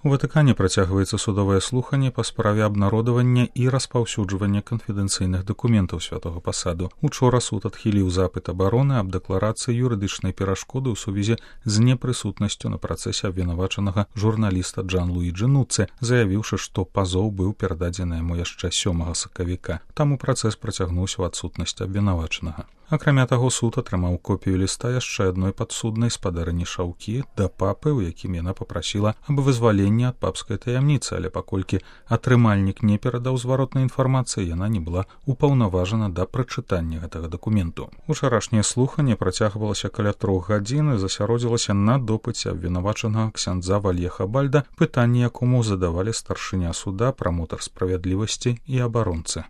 У Ватыкане працягваецца судовае слуханне па справе абнародавання і распаўсюджвання канфідэнцыйных дакументаў святога пасаду. Учора суд адхіліў запыт абароны аб дэкларацыі юрыдычнай перашкоды ў сувязі з непрысутнасцю на працэсе абвінавачанага журналіста Джан-Луіджы Нуцэ, заявіўшы, што пазоў быў перададзены яму яшчэ 7 сакавіка. Таму працэс працягнуўся ў адсутнасць абвінавачанага. Акрамя таго, суд атрымаў копію ліста яшчэ адной падсуднай спадарыні Шаўкі да папы, у якім яна папрасіла аб вызваленні ад папскай таямніцы, але паколькі атрымальнік не перадаў зваротнай інфармацыі, яна не была упаўнаважана да прачытання гэтага дакументу. Учарашняе слуханне працягвалася каля 3 гадзін і засяродзілася на допыце абвінавачанага ксяндза Вальеха Бальда, пытанні якому задавалі старшыня суда, прамотар справядлівасці і абаронцы.